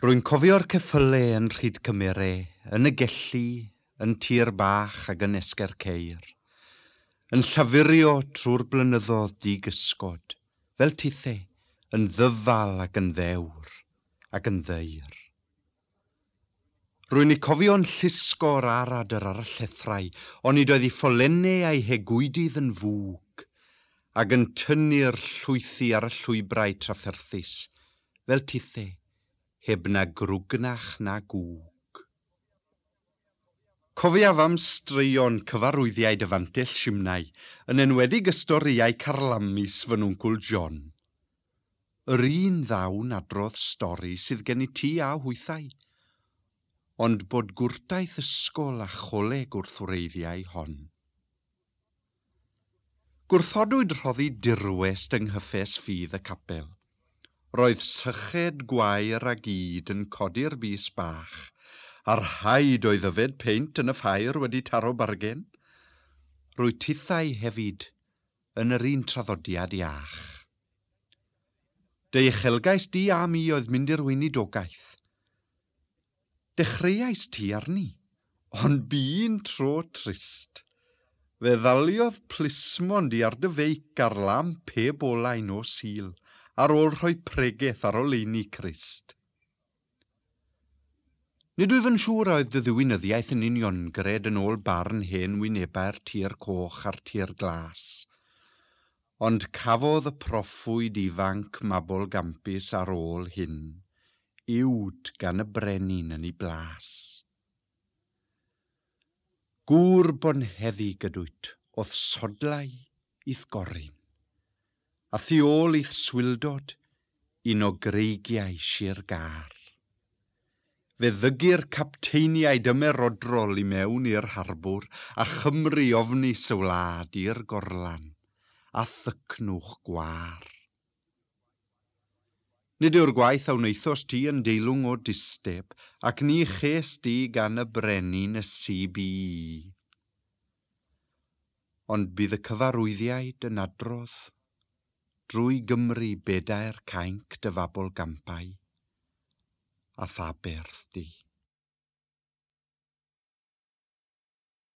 Rwy'n cofio'r ceffyle yn Rhyd Cymere, yn y Gelli, yn Tir Bach ac yn Esgair Ceir, yn llafurio trwy'r blynyddoedd di-gysgod, fel tithe, yn ddyfal ac yn ddewr, ac yn ddeir. Rwy'n eu cofio'n llusgo'r aradr ar y llethrau, onid oedd eu ffolennau a'u hegwydydd yn fwg, ac yn tynnu'r llwythi ar y llwybrau trafferthus, fel tithe, heb na grwgnach na gwg. Cofiaf am straeon cyfarwyddiaid y fantell simnai, yn enwedig y storïau carlamus fy nwncwl John. Yr un ddawn adrodd stori sydd gen i ti a hwythau, ond bod gwrtaith ysgol a choleg wrth wreiddiau hon. Gwrthodwyd rhoddi dirwest yng nghyffes ffydd y capel. Roedd syched gwair a gyd yn codi'r bys bach, a'r rhaid oedd yfed peint yn y ffair wedi taro bargen. Rwy tithau hefyd yn yr un traddodiad iach. Dy uchelgais di a mi oedd mynd i'r weinidogaeth. Dechreuais ti arni, ond bu'n tro trist. Fe ddaliodd plismon di ar dy feic ar lamp heb olau nos Sul, ar ôl rhoi pregeth ar oleuni Crist. Nid wyf yn siŵr a oedd dy ddiwinyddiaeth yn uniongred yn ôl barn hen wynebau'r tir coch a'r tir glas. Ond cafodd y proffwyd ifanc mabolgampus ar ôl hyn, uwd gan y brenin yn ei blas. Gŵr bonheddig ydwyt, o'th sodlau i'th gorun, a thu ôl i'th swildod un o greigiau Sir Gâr. Fe ddygir capteiniaid ymerodrol i mewn i'r harbwr, a Chymru ofnus y wlad i'r gorlan, a thycnwch gwâr. Nid yw'r gwaith a wnaethost ti yn deilwng o disteb, ac ni ches di gan y brenin y CBE. Ond bydd y cyfarwyddiaid yn adrodd drwy Gymru bedair cainc dy fabolgampau, a tha berth di.